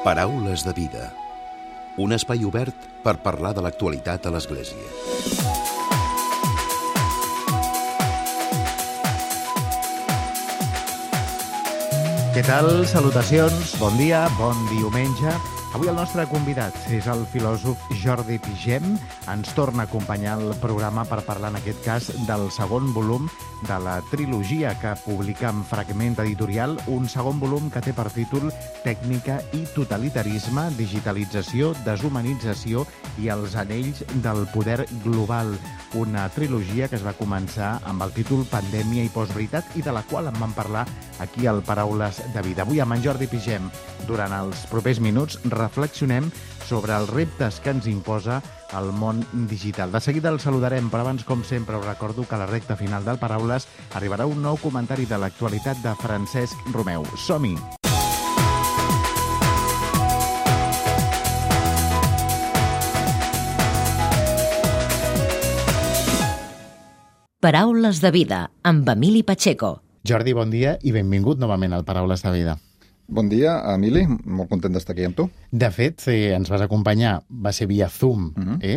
Paraules de vida. Un espai obert per parlar de l'actualitat a l'Església. Què tal? Salutacions, bon dia, bon diumenge. Avui el nostre convidat és el filòsof Jordi Pigem. Ens torna a acompanyar al programa per parlar, en aquest cas, del segon volum de la trilogia que publica en Fragment Editorial, un segon volum que té per títol Tècnica i totalitarisme, digitalització, deshumanització i els anells del poder global. Una trilogia que es va començar amb el títol Pandèmia i postveritat i de la qual en vam parlar aquí al Paraules de Vida. Avui amb en Jordi Pigem, durant els propers minuts, reflexionem sobre els reptes que ens imposa el món digital. De seguida el saludarem, però abans, com sempre, us recordo que a la recta final del Paraules arribarà un nou comentari de l'actualitat de Francesc Romeu. Som-hi! Paraules de Vida, amb Emili Pacheco. Jordi, bon dia i benvingut novament al Paraules de Vida. Bon dia, Emili. Molt content d'estar aquí amb tu. De fet, ens vas acompanyar, va ser via Zoom,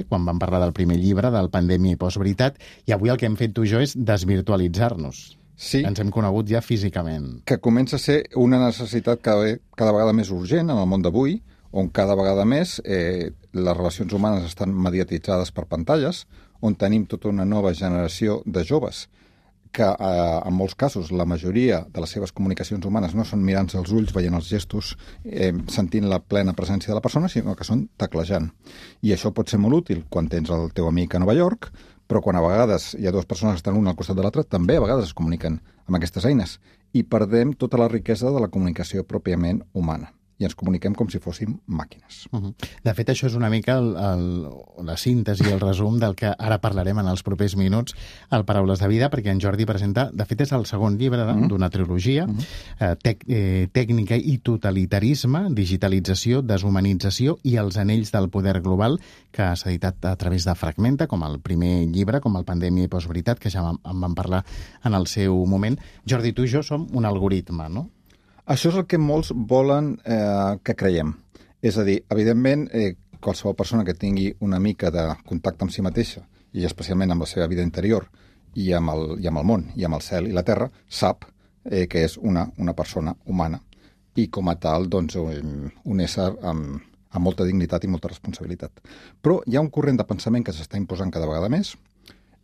quan vam parlar del primer llibre, del Pandèmia i postveritat, i avui el que hem fet tu i jo és desvirtualitzar-nos. Sí. Ens hem conegut ja físicament. Que comença a ser una necessitat cada vegada més urgent en el món d'avui, on cada vegada més les relacions humanes estan mediatitzades per pantalles, on tenim tota una nova generació de joves que, en molts casos, la majoria de les seves comunicacions humanes no són mirant-se als ulls, veient els gestos, sentint la plena presència de la persona, sinó que són teclejant. I això pot ser molt útil quan tens el teu amic a Nova York, però quan a vegades hi ha dues persones que estan una al costat de l'altra, també a vegades es comuniquen amb aquestes eines. I perdem tota la riquesa de la comunicació pròpiament humana. I ens comuniquem com si fóssim màquines. De fet, això és una mica la síntesi i el resum del que ara parlarem en els propers minuts al Paraules de Vida, perquè en Jordi presenta, de fet, és el segon llibre d'una trilogia, Tècnica i totalitarisme, digitalització, deshumanització i els anells del poder global, que s'ha editat a través de Fragmenta, com el primer llibre, com el Pandèmia i postveritat, que ja en vam parlar en el seu moment. Jordi, tu i jo som un algoritme, no? Això és el que molts volen que creiem. És a dir, evidentment, qualsevol persona que tingui una mica de contacte amb si mateixa, i especialment amb la seva vida interior, i amb el món, i amb el cel i la terra, sap que és una persona humana. I com a tal, doncs, un ésser amb molta dignitat i molta responsabilitat. Però hi ha un corrent de pensament que s'està imposant cada vegada més,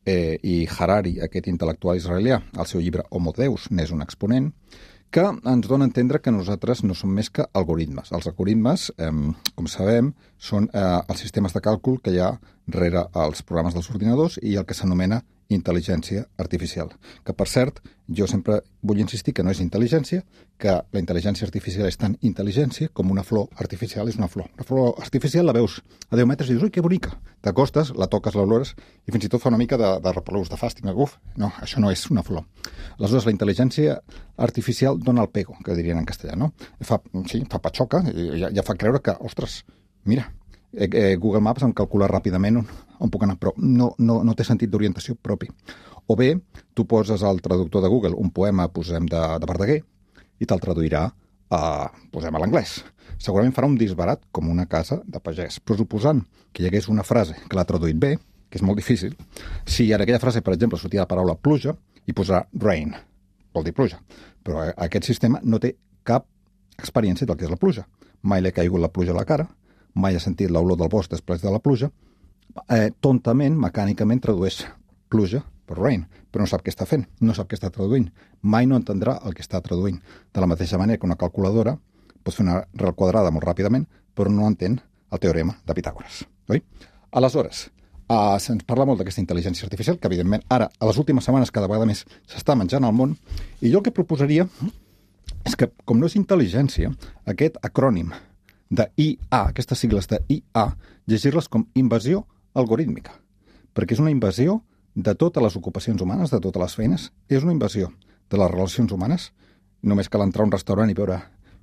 i Harari, aquest intel·lectual israelià, al seu llibre Homo Deus, n'és un exponent, que ens dona a entendre que nosaltres no som més que algoritmes. Els algoritmes, com sabem, són els sistemes de càlcul que hi ha rere els programes dels ordinadors i el que s'anomena intel·ligència artificial. Que, per cert, jo sempre vull insistir que no és intel·ligència, que la intel·ligència artificial és tan intel·ligència com una flor artificial és una flor. La flor artificial la veus a 10 metres i dius, ui, que bonica! T'acostes, la toques, l'olores i fins i tot fa una mica de repelús, de fàstic. Uf, no, això no és una flor. Aleshores, la intel·ligència artificial dona el pego, que dirien en castellà, no? Fa patxoca, ja fa creure que, ostres, mira, Google Maps em calcula ràpidament on puc anar, però no té sentit d'orientació propi. O bé, tu poses al traductor de Google un poema, posem de Verdaguer, i te'l traduirà posem a l'anglès. Segurament farà un disbarat com una casa de pagès, però suposant que hi hagués una frase que l'ha traduït bé, que és molt difícil, si en aquella frase, per exemple, sortia la paraula pluja, i posarà rain, vol dir pluja. Però aquest sistema no té cap experiència del que és la pluja. Mai li ha caigut la pluja a la cara, mai ha sentit l'olor del bosc després de la pluja, tontament, mecànicament, tradueix pluja per rain, però no sap què està fent, no sap què està traduint. Mai no entendrà el que està traduint. De la mateixa manera que una calculadora pot fer una arrel quadrada molt ràpidament, però no entén el teorema de Pitàgores. Oi? Aleshores, se'ns parla molt d'aquesta intel·ligència artificial, que evidentment ara, a les últimes setmanes, cada vegada més s'està menjant al món, i jo el que proposaria és que, com no és intel·ligència, aquest acrònim de IA, aquestes sigles de IA, llegir-les com invasió algorítmica, perquè és una invasió de totes les ocupacions humanes, de totes les feines, és una invasió de les relacions humanes. Només cal entrar a un restaurant i veure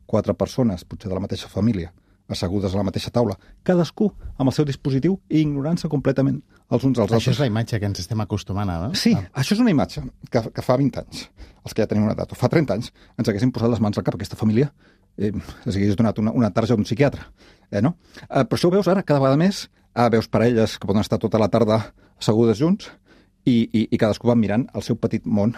4 persones, potser de la mateixa família, assegudes a la mateixa taula, cadascú amb el seu dispositiu i ignorant-se completament els uns als altres. Això és la imatge que ens estem acostumant a... Sí, això és una imatge que fa 20 anys, els que ja tenim una edat, o fa 30 anys, ens haguessin posat les mans al cap. Aquesta família els hagués donat una tarja d'un psiquiatre. No? Però això ho veus ara cada vegada més, veus parelles que poden estar tota la tarda assegudes junts i cadascú va mirant el seu petit món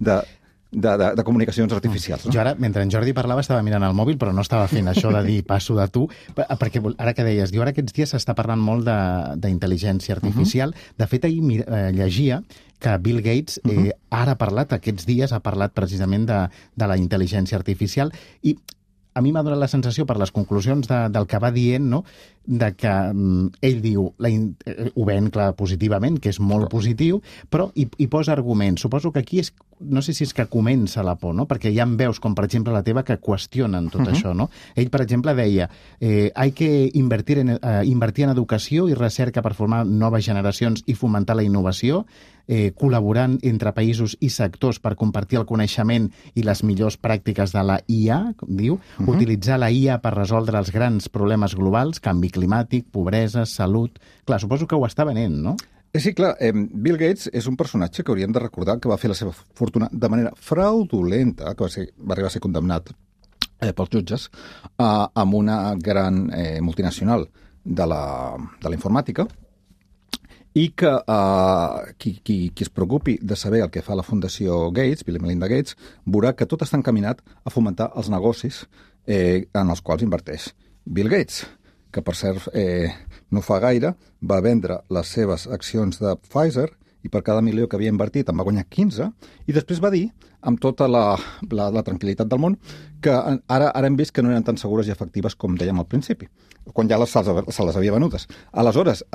de comunicacions artificials. No? Jo ara, mentre en Jordi parlava, estava mirant el mòbil, però no estava fent això de dir passo de tu, perquè ara que deies, ara aquests dies s'està parlant molt d'intel·ligència artificial. De fet, ahir llegia que Bill Gates ara ha parlat, aquests dies ha parlat precisament de la intel·ligència artificial, i a mi m'ha donat la sensació, per les conclusions del que va dient, no?, de que ell diu, ho ven clar positivament, que és molt positiu, però hi posa arguments. Suposo que aquí no sé si és que comença la por, no?, perquè ja en veus, com per exemple la teva, que qüestionen tot això, no? Ell, per exemple, deia hay que invertir en educació i recerca per formar noves generacions i fomentar la innovació, col·laborant entre països i sectors per compartir el coneixement i les millors pràctiques de la IA, diu, utilitzar la IA per resoldre els grans problemes globals, canvi climàtic, pobresa, salut... Clar, suposo que ho està venent, no? Sí, clar. Bill Gates és un personatge que hauríem de recordar que va fer la seva fortuna de manera fraudulenta, que va arribar a ser condemnat pels jutges, amb una gran multinacional de la informàtica, i que qui es preocupi de saber el que fa la Fundació Gates, Bill i Melinda Gates, veurà que tot està encaminat a fomentar els negocis en els quals inverteix Bill Gates, que per cert no fa gaire va vendre les seves accions de Pfizer i per cada milió que havia invertit en va guanyar 15, i després va dir, amb tota la tranquil·litat del món, que ara hem vist que no eren tan segures i efectives com dèiem al principi, quan ja se les havia venudes. Aleshores,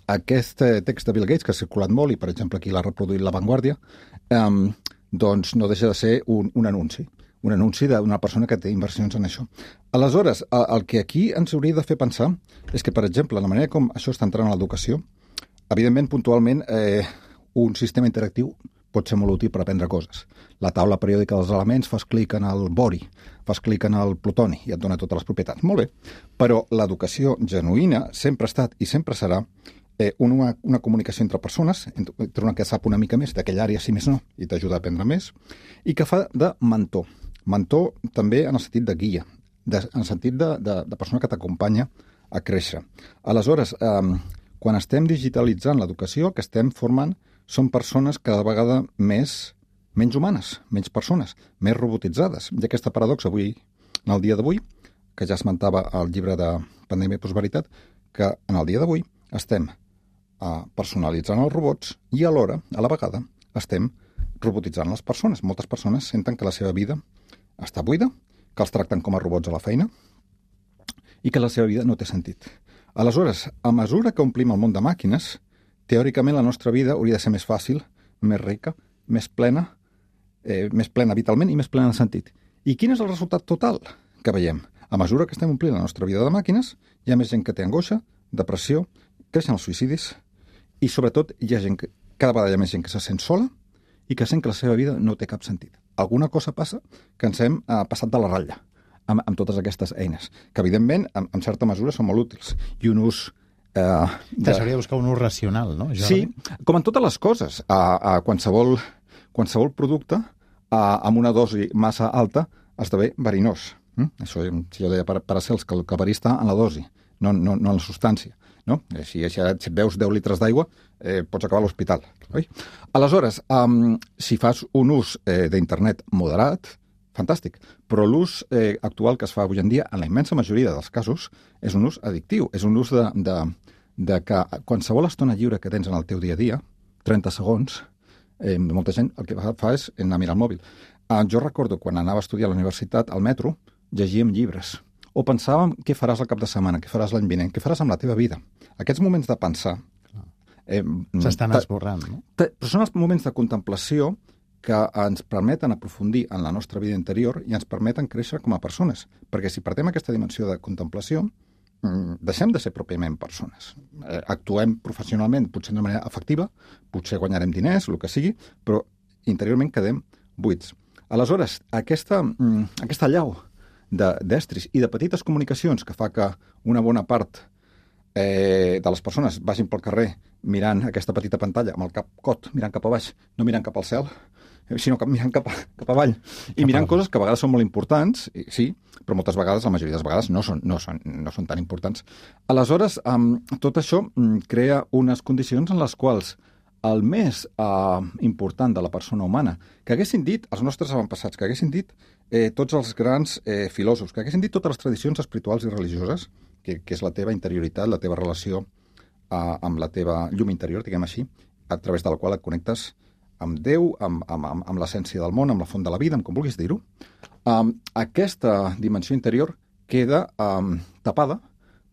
aquest text de Bill Gates, que ha circulat molt, i per exemple aquí l'ha reproduït La Vanguardia, doncs no deixa de ser un anunci d'una persona que té inversions en això. Aleshores, el que aquí ens hauria de fer pensar és que, per exemple, la manera com això està entrant a l'educació, evidentment, puntualment, un sistema interactiu pot ser molt útil per aprendre coses. La taula periòdica dels elements, fas clic en el bori, fas clic en el plutoni i et dona totes les propietats. Molt bé, però l'educació genuïna sempre ha estat i sempre serà una comunicació entre persones, entre una que sap una mica més d'aquella àrea, si més no, i t'ajuda a aprendre més, i que fa de mentor. Mentor també en el sentit de guia, en el sentit de persona que t'acompanya a créixer. Aleshores, quan estem digitalitzant l'educació, el que estem formant són persones cada vegada menys humanes, menys persones, més robotitzades. I aquesta paradoxa avui, en el dia d'avui, que ja esmentava el llibre de Pandèmia i Prosperitat, que en el dia d'avui estem personalitzant els robots i alhora, a la vegada, estem robotitzant les persones. Moltes persones senten que la seva vida està buida, que els tracten com a robots a la feina i que la seva vida no té sentit. Aleshores, a mesura que omplim el món de màquines, teòricament la nostra vida hauria de ser més fàcil, més rica, més plena vitalment i més plena de sentit. I quin és el resultat total que veiem? A mesura que estem omplint la nostra vida de màquines, hi ha més gent que té angoixa, depressió, creixen els suïcidis i, sobretot, cada vegada hi ha més gent que se sent sola i que sent que la seva vida no té cap sentit. Alguna cosa passa que ens hem passat de la ratlla amb totes aquestes eines, que evidentment, en certa mesura, són molt útils. I un ús... S'hauria de buscar un ús racional, no, Jordi? Sí, com en totes les coses. A qualsevol producte, amb una dosi massa alta, esdevé verinós. Això, si jo deia, Paracels, que el verí està en la dosi, no en la substància. No? Si et veus 10 litres d'aigua, pots acabar a l'hospital. Aleshores, si fas un ús d'internet moderat, fantàstic, però l'ús actual que es fa avui en dia, en la immensa majoria dels casos, és un ús addictiu, és un ús de que qualsevol estona lliure que tens en el teu dia a dia, 30 segons, molta gent el que fa és anar a mirar el mòbil. Jo recordo quan anava a estudiar a la universitat, al metro, llegíem llibres, o pensàvem què faràs el cap de setmana, què faràs l'any vinent, què faràs amb la teva vida. Aquests moments de pensar... s'estan esborrant, no? Però són els moments de contemplació que ens permeten aprofundir en la nostra vida interior i ens permeten créixer com a persones. Perquè si perdem aquesta dimensió de contemplació, deixem de ser pròpiament persones. Actuem professionalment, potser d'una manera efectiva, potser guanyarem diners, el que sigui, però interiorment quedem buits. Aleshores, aquesta allau d'estris i de petites comunicacions que fa que una bona part de les persones vagin pel carrer mirant aquesta petita pantalla amb el cap cot, mirant cap a baix, no mirant cap al cel, sinó que mirant cap avall i mirant coses que a vegades són molt importants, sí, però moltes vegades, la majoria de les vegades, no són tan importants. Aleshores, tot això crea unes condicions en les quals el més important de la persona humana, que haguessin dit els nostres avantpassats, que haguessin dit tots els grans filòsofs, que haguessin dit totes les tradicions espirituals i religioses, que és la teva interioritat, la teva relació amb la teva llum interior, diguem així, a través de la qual et connectes amb Déu, amb l'essència del món, amb la font de la vida, amb com vulguis dir-ho. Aquesta dimensió interior queda tapada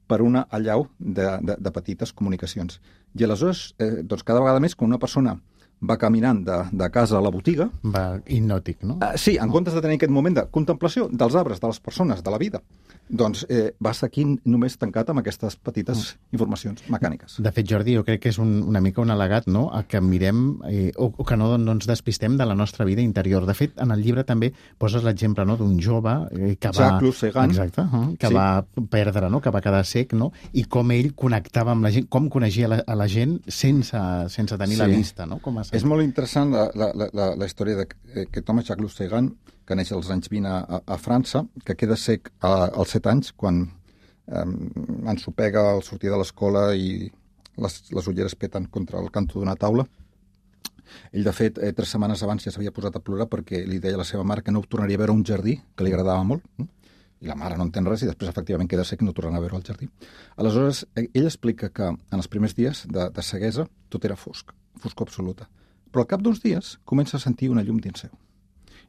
per una allau de petites comunicacions. I aleshores, doncs cada vegada més, quan una persona va caminant de casa a la botiga... Va hipnòtic, no? Sí, en comptes de tenir aquest moment de contemplació dels arbres, de les persones, de la vida, doncs va aquí només tancat amb aquestes petites informacions mecàniques. De fet, Jordi, jo crec que és una mica un al·legat, no?, a que mirem o que no ens despistem de la nostra vida interior. De fet, en el llibre també poses l'exemple, no?, d'un jove que va... Jacques Sagan. Exacte, que va perdre, no?, que va quedar cec, no?, i com ell connectava amb la gent, com coneixia a la gent sense tenir la vista, no? És molt interessant la història d'aquest home, Jacques Sagan, que neix als anys 20 a França, que queda sec als 7 anys, quan ensopega al sortir de l'escola i les ulleres peten contra el canto d'una taula. Ell, de fet, 3 setmanes abans ja s'havia posat a plorar perquè li deia a la seva mare que no tornaria a veure un jardí, que li agradava molt, i la mare no entén res, i després, efectivament, queda sec i no tornarà a veure el jardí. Aleshores, ell explica que en els primers dies de ceguesa tot era foscor absoluta. Però al cap d'uns dies comença a sentir una llum dins seu.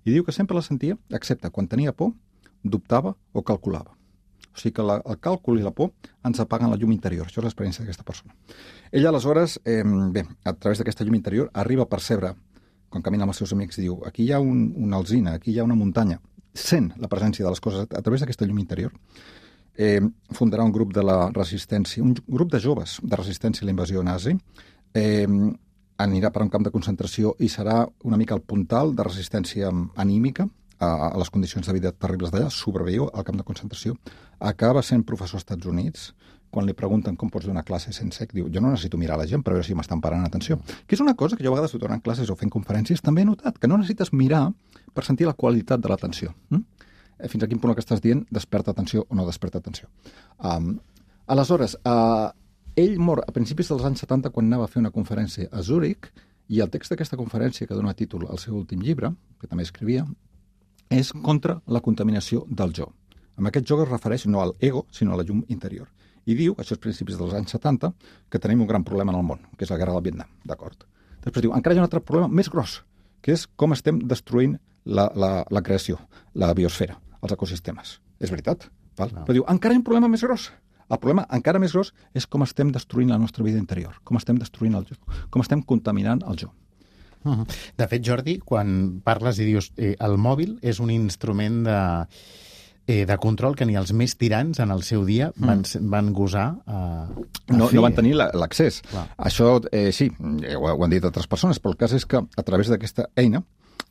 I diu que sempre la sentia, excepte quan tenia por, dubtava o calculava. O sigui que el càlcul i la por ens apaguen la llum interior. Això és l'experiència d'aquesta persona. Ella, aleshores, a través d'aquesta llum interior, arriba a percebre, quan camina amb els seus amics, diu, aquí hi ha una alzina, aquí hi ha una muntanya. Sent la presència de les coses a través d'aquesta llum interior. Fundarà un grup de la resistència, un grup de joves de resistència a la invasió nazi, anirà per un camp de concentració i serà una mica el puntal de resistència anímica a les condicions de vida terribles d'allà, sobreviu al camp de concentració, acaba sent professor als Estats Units. Quan li pregunten com pots donar classe sent cec, diu, jo no necessito mirar la gent per veure si m'estan parant atenció. Que és una cosa que jo a vegades donant classes o fent conferències també he notat, que no necessites mirar per sentir la qualitat de l'atenció. Fins a quin punt el que estàs dient desperta atenció o no desperta atenció. Aleshores, ell mor a principis dels anys 70 quan anava a fer una conferència a Zúrich, i el text d'aquesta conferència, que dona títol al seu últim llibre, que també escrivia, és contra la contaminació del jo. Amb aquest jo es refereix no al ego, sinó a la llum interior. I diu, això és principis dels anys 70, que tenim un gran problema en el món, que és la guerra del Vietnam, d'acord? Després diu, encara hi ha un altre problema més gros, que és com estem destruint la creació, la biosfera, els ecosistemes. És veritat, val? Però diu, encara hi ha un problema més gros. El problema encara més gros és com estem destruint la nostra vida interior, com estem destruint el jo, com estem contaminant el jo. De fet, Jordi, quan parles i dius el mòbil és un instrument de control que ni els més tirans en el seu dia van gosar no van tenir l'accés. Això, sí, ho han dit altres persones, però el cas és que a través d'aquesta eina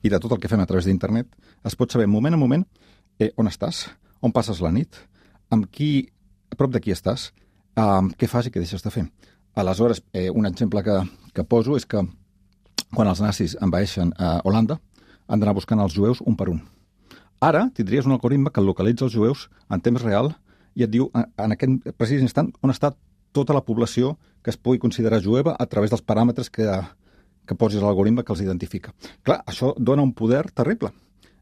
i de tot el que fem a través d'internet es pot saber moment a moment on estàs, on passes la nit, amb qui, a prop de qui estàs, què fas i què deixes de fer. Aleshores, un exemple que poso és que quan els nazis envaeixen Holanda, han d'anar buscant els jueus un per un. Ara tindries un algoritme que localitza els jueus en temps real i et diu en aquest precís instant on està tota la població que es pugui considerar jueva a través dels paràmetres que posis a l'algoritme que els identifica. Clar, això dona un poder terrible.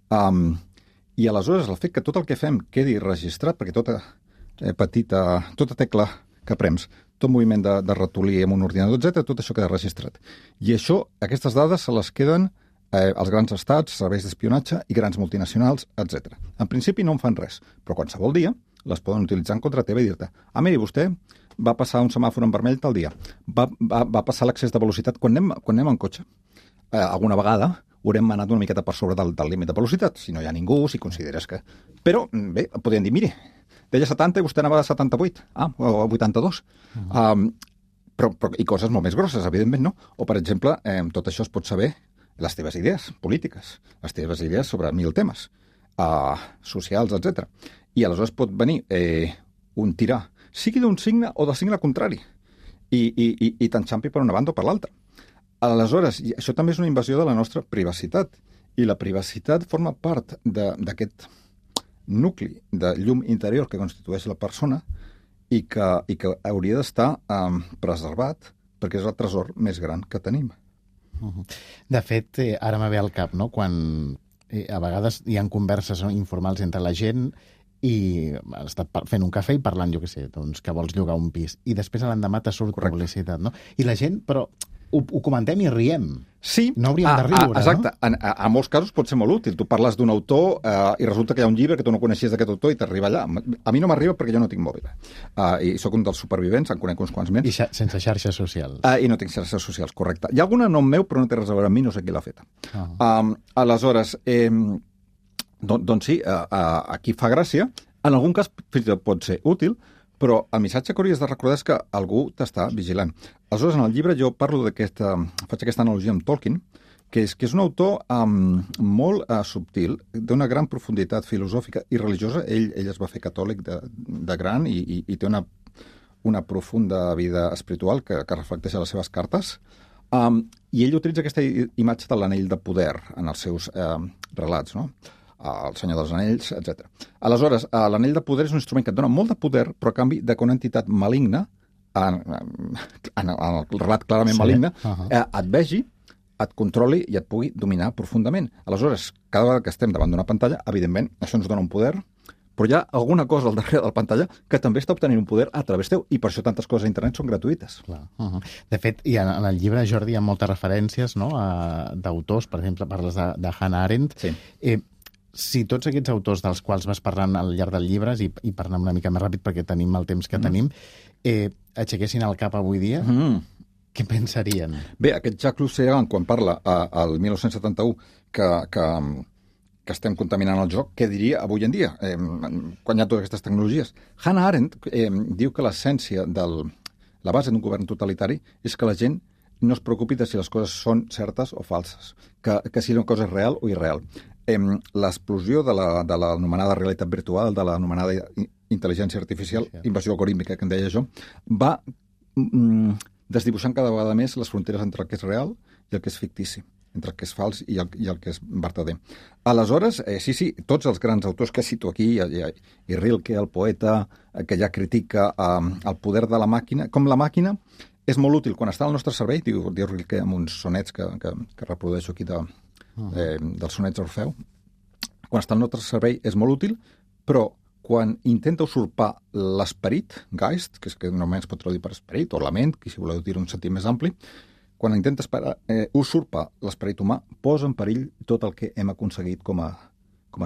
I aleshores el fet que tot el que fem quedi registrat, perquè tota tecla que prems, tot moviment de ratolí amb un ordinador, etc., tot això queda registrat. I això, aquestes dades se les queden els grans estats, serveis d'espionatge i grans multinacionals, etc. En principi no en fan res, però qualsevol dia les poden utilitzar en contra teva i dir-te miri, vostè va passar un semàfor en vermell tal dia, va passar l'excés de velocitat quan anem en cotxe. Alguna vegada haurem anat una miqueta per sobre del límit de velocitat, si no hi ha ningú, si consideres que... Però, bé, podríem dir, miri, deia 70 i vostè anava de 78, o 82. Però i coses molt més grosses, evidentment, no? O, per exemple, tot això es pot saber les teves idees polítiques, les teves idees sobre 1000 temes. socials, etc. I aleshores pot venir un tirà, sigui d'un signe o del signe contrari, i t'enxampi per una banda o per l'altra. Aleshores, això també és una invasió de la nostra privacitat, i la privacitat forma part d'aquest nucli de llum interior que constitueix la persona i que hauria d'estar preservat perquè és el tresor més gran que tenim. De fet, ara me ve al cap, no?, quan a vegades hi ha converses informals entre la gent i has estat fent un cafè i parlant, jo què sé, doncs que vols llogar un pis. I després a l'endemà te surt publicitat, no? I la gent, però ho comentem i riem. Sí. No hauríem de riure, exacte. No? En molts casos pot ser molt útil. Tu parles d'un autor i resulta que hi ha un llibre que tu no coneixies d'aquest autor i t'arriba allà. A mi no m'arriba perquè jo no tinc mòbil. I sóc un dels supervivents, en conec uns quants més. I sense xarxes socials. I no tinc xarxes socials, correcte. Hi ha alguna nom meu, però no té res a veure amb mi, no sé qui l'ha feta. Aleshores, doncs sí, aquí fa gràcia. En algun cas fins i tot pot ser útil, però el missatge que hauries de recordar és que algú t'està vigilant. Aleshores, en el llibre jo parlo faig aquesta analogia amb Tolkien, que és un autor molt subtil, d'una gran profunditat filosòfica i religiosa. Ell es va fer catòlic de gran i té una profunda vida espiritual que reflecteix a les seves cartes. I ell utilitza aquesta imatge de l'anell de poder en els seus relats, no? El Senyor dels Anells, etc. Aleshores, l'anell de poder és un instrument que et dona molt de poder, però a canvi de que una entitat maligna, en el relat clarament maligne, et vegi, et controli i et pugui dominar profundament. Aleshores, cada vegada que estem davant d'una pantalla, evidentment, això ens dona un poder, però hi ha alguna cosa al darrere de la pantalla que també està obtenint un poder a través teu, i per això tantes coses a internet són gratuïtes. De fet, en el llibre, Jordi, hi ha moltes referències, no?, d'autors. Per exemple, parles de Hannah Arendt. Sí. Si tots aquests autors dels quals vas parlant al llarg del llibre, i per anar una mica més ràpid perquè tenim el temps que tenim, aixequessin el cap avui dia, què pensarien? Bé, aquest Jacques Lussian, quan parla al 1971 que estem contaminant el joc, què diria avui en dia, quan hi ha totes aquestes tecnologies? Hannah Arendt diu que l'essència la base d'un govern totalitari és que la gent no es preocupi de si les coses són certes o falses, que si una cosa és real o irreal. L'explosió de l'anomenada realitat virtual, de l'anomenada intel·ligència artificial, invasió algorítmica, que en deia jo, va desdibuixant cada vegada més les fronteres entre el que és real i el que és fictici, entre el que és fals i el que és vertader. Aleshores, sí, tots els grans autors que cito aquí, i Rilke, el poeta, que ja critica el poder de la màquina, com la màquina és molt útil quan està al nostre servei, diu Rilke amb uns sonets que reprodueixo aquí dels sonets d'Orfeu. Quan està al nostre servei és molt útil, però quan intenta usurpar l'esperit, Geist, que és que normalment es pot traduir per esperit, o la ment, que si voleu dir un sentit més ampli, quan intenta usurpar l'esperit humà, posa en perill tot el que hem aconseguit com a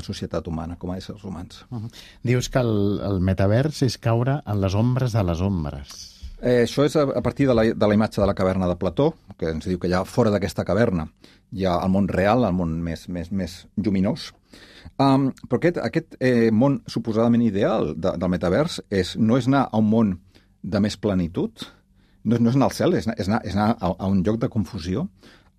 societat humana, com a éssers humans. Dius que el metavers és caure en les ombres de les ombres. Això és a partir de la imatge de la caverna de Plató, que ens diu que ja fora d'aquesta caverna hi ha el món real, el món més lluminós. Però aquest món suposadament ideal del metavers no és anar a un món de més plenitud, no és anar al cel, és anar a un lloc de confusió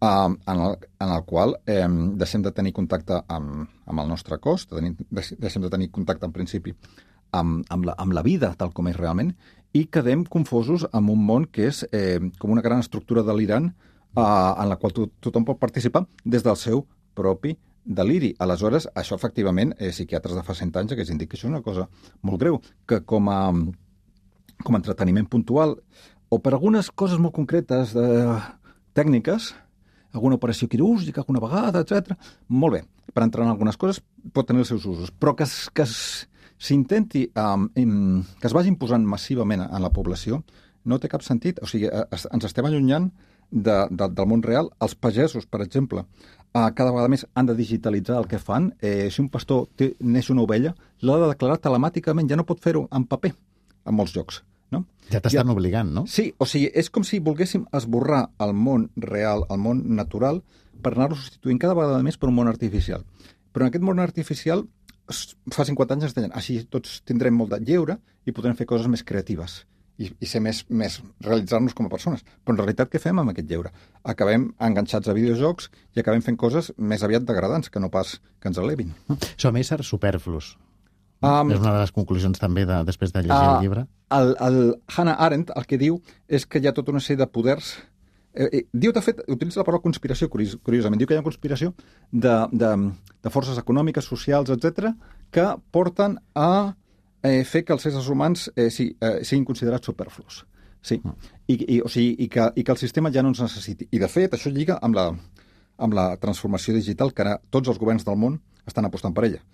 en el qual deixem de tenir contacte amb el nostre cos, deixem de tenir contacte en principi amb la vida tal com és realment, i quedem confosos amb un món que és com una gran estructura delirant en la qual tothom pot participar des del seu propi deliri. Aleshores, això efectivament, psiquiatres de fa 100 anys que indiquen que això és una cosa molt greu, que com a entreteniment puntual, o per algunes coses molt concretes tècniques, alguna operació quirúrgica alguna vegada, etc. Molt bé, per entrar en algunes coses pot tenir els seus usos, però que s'intenti, que es vagi imposant massivament en la població, no té cap sentit. O sigui, ens estem allunyant del món real. Els pagesos, per exemple, cada vegada més han de digitalitzar el que fan. Si un pastor neix una ovella, l'ha de declarar telemàticament, ja no pot fer-ho en paper, en molts llocs. No? Ja t'estan obligant, no? Sí, o sigui, és com si volguéssim esborrar el món real, el món natural, per anar-lo substituint cada vegada més per un món artificial. Però en aquest món artificial, fa 50 anys ens deien, així tots tindrem molt de lleure i podrem fer coses més creatives. i ser més realitzar-nos com a persones. Però en realitat què fem amb aquest lleure? Acabem enganxats a videojocs i acabem fent coses més aviat degradants que no pas que ens elevin. Som éssers superflus. És una de les conclusions també després de llegir el llibre. El Hannah Arendt el que diu és que hi ha tota una sèrie de poders. Diu, de fet, utilitza la paraula conspiració, curiosament. Diu que hi ha conspiració de forces econòmiques, socials, etc., que porten a fer que els éssers humans siguin considerats superflus. Sí. I que el sistema ja no ens necessiti. I, de fet, això lliga amb la transformació digital que ara tots els governs del món estan apostant per ella.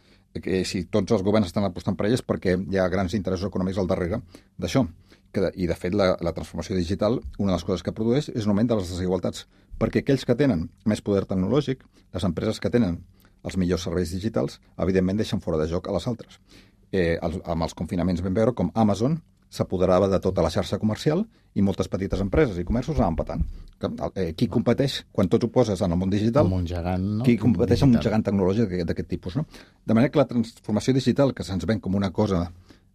Si tots els governs estan apostant per ella és perquè hi ha grans interessos econòmics al darrere d'això. I, de fet, la transformació digital, una de les coses que produeix és un augment de les desigualtats, perquè aquells que tenen més poder tecnològic, les empreses que tenen els millors serveis digitals, evidentment deixen fora de joc a les altres. Amb els confinaments vam veure com Amazon s'apoderava de tota la xarxa comercial i moltes petites empreses i comerços anaven patant. Qui competeix, quan tots ho poses en el món digital, amb un gegant, no? Qui competeix amb un gegant tecnològic d'aquest tipus, no? De manera que la transformació digital, que se'ns ven com una cosa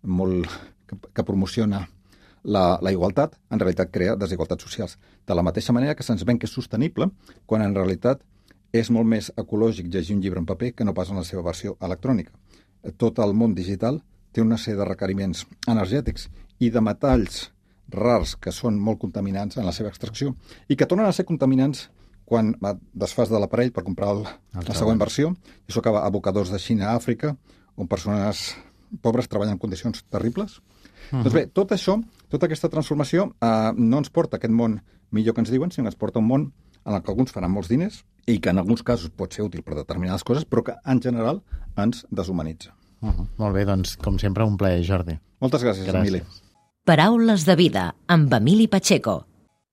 molt que promociona la igualtat, en realitat crea desigualtats socials. De la mateixa manera que se'ns ven que és sostenible, quan en realitat és molt més ecològic llegir un llibre en paper que no pas en la seva versió electrònica. Tot el món digital té una sèrie de requeriments energètics i de metalls rars que són molt contaminants en la seva extracció i que tornen a ser contaminants quan desfas de l'aparell per comprar la següent versió. I això acaba a abocadors de Xina a Àfrica, on persones pobres treballen en condicions terribles. Doncs bé, tot això, tota aquesta transformació no ens porta a aquest món millor que ens diuen, sinó que ens porta a un món en el que alguns faran molts diners i que en alguns casos pot ser útil per determinades coses, però que en general ens deshumanitza. Molt bé, doncs, com sempre, un plaer, Jordi. Moltes gràcies, Emili. Paraules de vida, amb Emili Pacheco.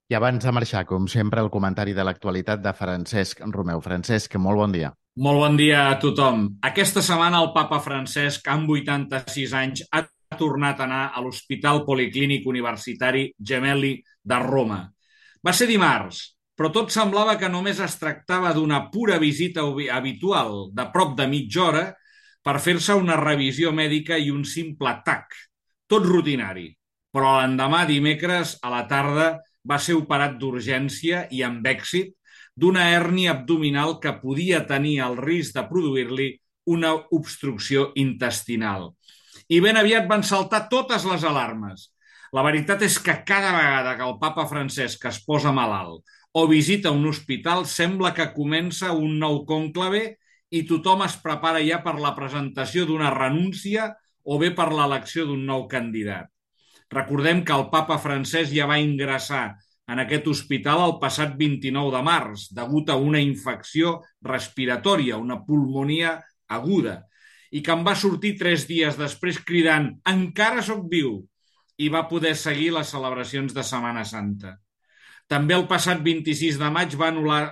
I abans de marxar, com sempre, el comentari de l'actualitat de Francesc Romeu. Francesc, molt bon dia. Molt bon dia a tothom. Aquesta setmana el papa Francesc, amb 86 anys, ha tornat a anar a l'Hospital Policlínic Universitari Gemelli de Roma. Va ser dimarts, però tot semblava que només es tractava d'una pura visita habitual de prop de mitja hora per fer-se una revisió mèdica i un simple TAC, tot rutinari. Però l'endemà, dimecres, a la tarda, va ser operat d'urgència i amb èxit d'una hèrnia abdominal que podia tenir el risc de produir-li una obstrucció intestinal. I ben aviat van saltar totes les alarmes. La veritat és que cada vegada que el papa Francesc es posa malalt o visita un hospital sembla que comença un nou cònclave i tothom es prepara ja per la presentació d'una renúncia o bé per l'elecció d'un nou candidat. Recordem que el papa Francesc ja va ingressar en aquest hospital el passat 29 de març degut a una infecció respiratòria, una pulmonia aguda, i que en va sortir 3 dies després cridant «Encara sóc viu!» i va poder seguir les celebracions de Setmana Santa. També el passat 26 de maig va anul·lar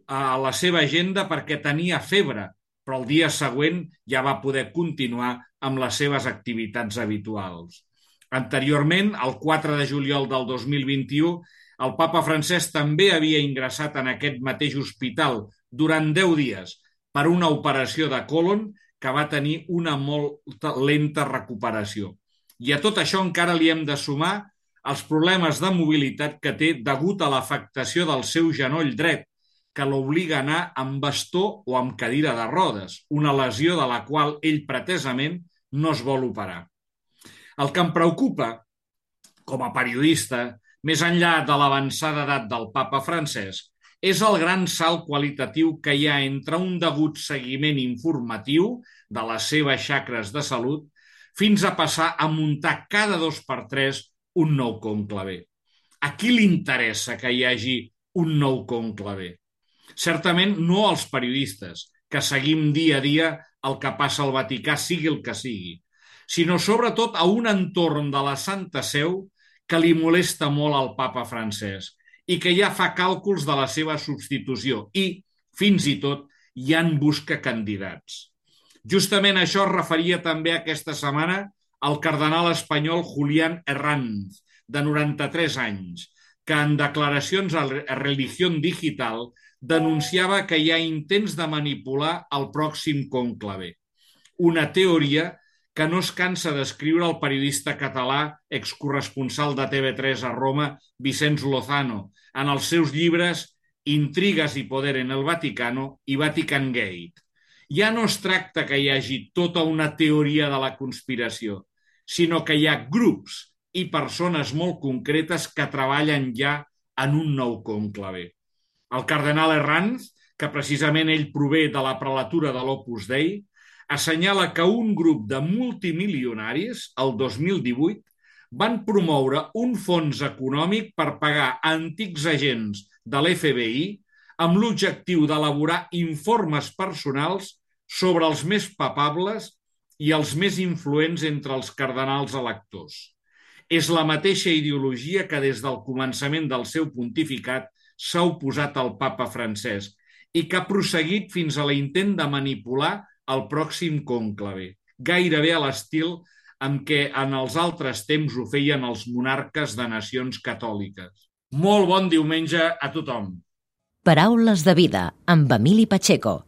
la seva agenda perquè tenia febre, però el dia següent ja va poder continuar amb les seves activitats habituals. Anteriorment, el 4 de juliol del 2021, el papa Francesc també havia ingressat en aquest mateix hospital durant 10 dies per una operació de còlon que va tenir una molt lenta recuperació. I a tot això encara li hem de sumar els problemes de mobilitat que té degut a l'afectació del seu genoll dret, que l'obliga a anar amb bastó o amb cadira de rodes, una lesió de la qual ell pretesament no es vol operar. El que em preocupa, com a periodista, més enllà de l'avançada edat del papa Francesc, és el gran salt qualitatiu que hi ha entre un degut seguiment informatiu de les seves xacres de salut fins a passar a muntar cada 2x3 un nou cònclave. A qui li interessa que hi hagi un nou cònclave? Certament no als periodistes, que seguim dia a dia el que passa al Vaticà, sigui el que sigui, sinó sobretot a un entorn de la Santa Seu que li molesta molt al papa Francesc i que ja fa càlculs de la seva substitució i, fins i tot, ja en busca candidats. Justament això es referia també aquesta setmana al cardenal espanyol Julián Herranz, de 93 anys, que en declaracions a Religión Digital denunciava que hi ha intents de manipular el pròxim cònclave. Una teoria que no es cansa d'escriure el periodista català excorresponsal de TV3 a Roma, Vicenç Lozano, en els seus llibres Intrigues i poder en el Vaticano i Vatican Gate. Ja no es tracta que hi hagi tota una teoria de la conspiració, sinó que hi ha grups i persones molt concretes que treballen ja en un nou cònclave. El cardenal Herranz, que precisament ell prové de la prelatura de l'Opus Dei, assenyala que un grup de multimilionaris, el 2018, van promoure un fons econòmic per pagar a antics agents de l'FBI amb l'objectiu d'elaborar informes personals sobre els més papables i els més influents entre els cardenals electors. És la mateixa ideologia que des del començament del seu pontificat s'ha oposat al papa Francesc i que ha prosseguit fins a l'intent de manipular el pròxim cònclave, gairebé a l'estil amb què en els altres temps ho feien els monarques de nacions catòliques. Molt bon diumenge a tothom. Paraules de vida, amb Emili Pacheco.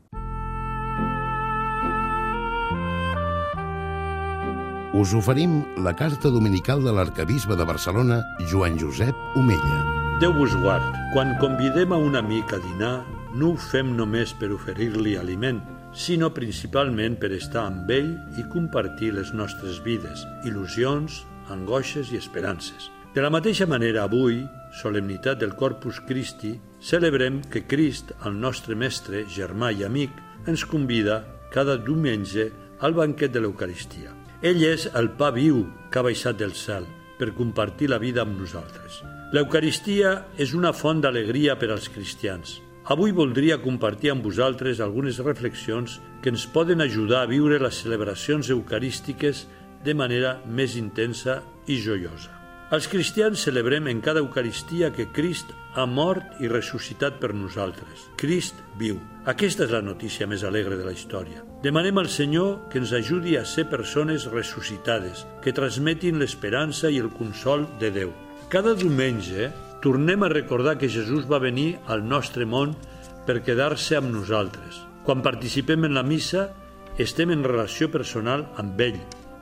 Us oferim la carta dominical de l'arquebisbe de Barcelona, Joan Josep Omella. Déu vos guard. Quan convidem a un amic a dinar, no ho fem només per oferir-li aliment, sinó principalment per estar amb ell i compartir les nostres vides, il·lusions, angoixes i esperances. De la mateixa manera, avui, solemnitat del Corpus Christi, celebrem que Crist, el nostre mestre, germà i amic, ens convida cada diumenge al banquet de l'Eucaristia. Ell és el pa viu que ha baixat del cel per compartir la vida amb nosaltres. L'Eucaristia és una font d'alegria per als cristians. Avui voldria compartir amb vosaltres algunes reflexions que ens poden ajudar a viure les celebracions eucarístiques de manera més intensa i joiosa. Els cristians celebrem en cada Eucaristia que Crist ha mort i ressuscitat per nosaltres. Crist viu. Aquesta és la notícia més alegre de la història. Demanem al Senyor que ens ajudi a ser persones ressuscitades, que transmetin l'esperança i el consol de Déu. Cada diumenge tornem a recordar que Jesús va venir al nostre món per quedar-se amb nosaltres. Quan participem en la missa, estem en relació personal amb ell.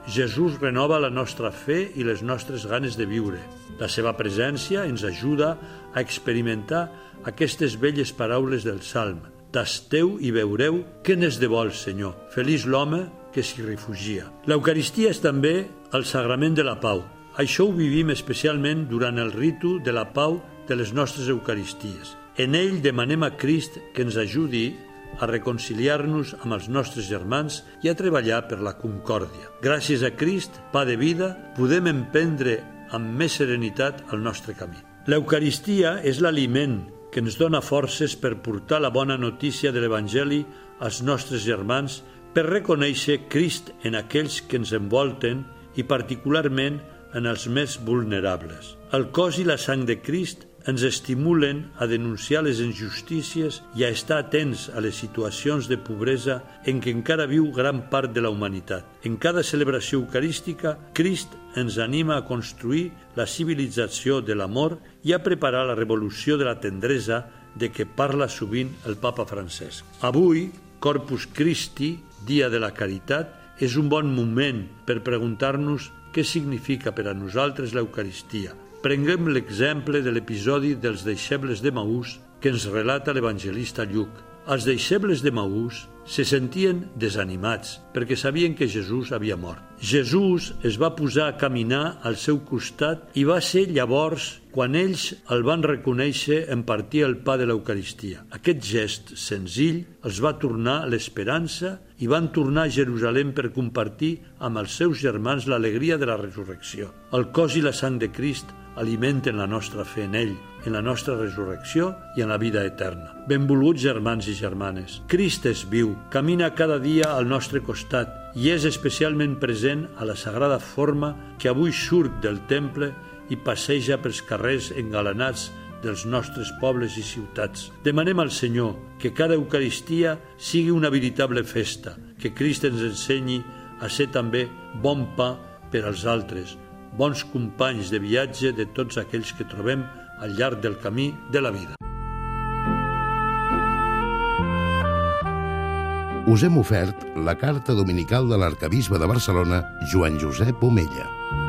Jesús renova la nostra fe i les nostres ganes de viure. La seva presència ens ajuda a experimentar aquestes belles paraules del Salm. Tasteu i veureu què n'és de bo el Senyor. Feliç l'home que s'hi refugia. L'Eucaristia és també el sagrament de la pau. Això ho vivim especialment durant el ritu de la pau de les nostres Eucaristies. En ell demanem a Crist que ens ajudi a reconciliar-nos amb els nostres germans i a treballar per la concòrdia. Gràcies a Crist, pa de vida, podem emprendre amb més serenitat el nostre camí. L'Eucaristia és l'aliment que ens dona forces per portar la bona notícia de l'Evangeli als nostres germans, per reconèixer Crist en aquells que ens envolten i particularment en els més vulnerables. El cos i la sang de Crist ens estimulen a denunciar les injustícies i a estar atents a les situacions de pobresa en què encara viu gran part de la humanitat. En cada celebració eucarística, Crist ens anima a construir la civilització de l'amor i a preparar la revolució de la tendresa de què parla sovint el papa Francesc. Avui, Corpus Christi, Dia de la Caritat, és un bon moment per preguntar-nos què significa per a nosaltres l'Eucaristia. Prenguem l'exemple de l'episodi dels deixebles de Maús que ens relata l'evangelista Lluc. Els deixebles de Maús se sentien desanimats perquè sabien que Jesús havia mort. Jesús es va posar a caminar al seu costat i va ser llavors quan ells el van reconèixer en partir el pa de l'Eucaristia. Aquest gest senzill els va tornar l'esperança i van tornar a Jerusalem per compartir amb els seus germans l'alegria de la resurrecció. El cos i la sang de Crist alimenten la nostra fe en ell, en la nostra resurrecció i en la vida eterna. Benvolguts germans i germanes, Crist és viu, camina cada dia al nostre costat i és especialment present a la sagrada forma que avui surt del temple i passeja pels carrers engalanats dels nostres pobles i ciutats. Demanem al Senyor que cada Eucaristia sigui una veritable festa, que Crist ens ensenyi a ser també bon pa per als altres, bons companys de viatge de tots aquells que trobem al llarg del camí de la vida. us hem ofert la carta dominical de l'arcabisbe de Barcelona, Joan Josep Omella.